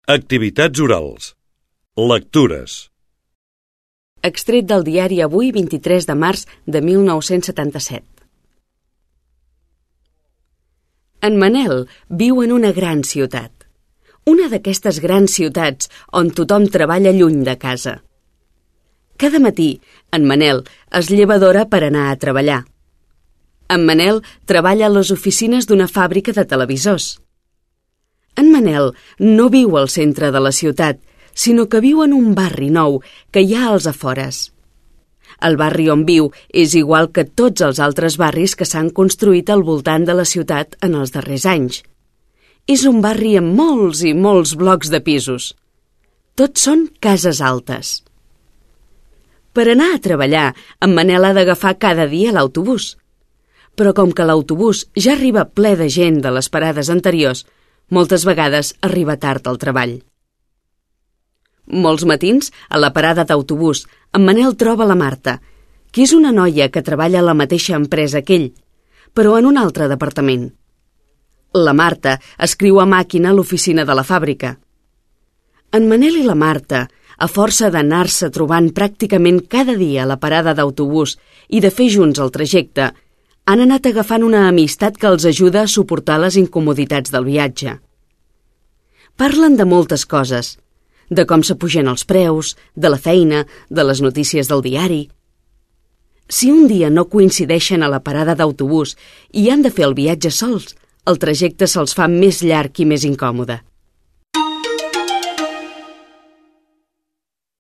Activitats orals. Lectures. Extret del diari Avui, 23 de març de 1977. En Manel viu en una gran ciutat. Una d'aquestes grans ciutats on tothom treballa lluny de casa. Cada matí, en Manel es lleva d'hora per anar a treballar. En Manel treballa a les oficines d'una fàbrica de televisors. En Manel no viu al centre de la ciutat, sinó que viu en un barri nou que hi ha als afores. El barri on viu és igual que tots els altres barris que s'han construït al voltant de la ciutat en els darrers anys. És un barri amb molts i molts blocs de pisos. Tots són cases altes. Per anar a treballar, en Manel ha d'agafar cada dia l'autobús. Però com que l'autobús ja arriba ple de gent de les parades anteriors, moltes vegades arriba tard al treball. Molts matins, a la parada d'autobús, en Manel troba la Marta, que és una noia que treballa a la mateixa empresa que ell, però en un altre departament. La Marta escriu a màquina a l'oficina de la fàbrica. En Manel i la Marta, a força d'anar-se trobant pràcticament cada dia a la parada d'autobús i de fer junts el trajecte, han anat agafant una amistat que els ajuda a suportar les incomoditats del viatge. Parlen de moltes coses, de com s'apugen els preus, de la feina, de les notícies del diari. Si un dia no coincideixen a la parada d'autobús i han de fer el viatge sols, el trajecte se'ls fa més llarg i més incòmode.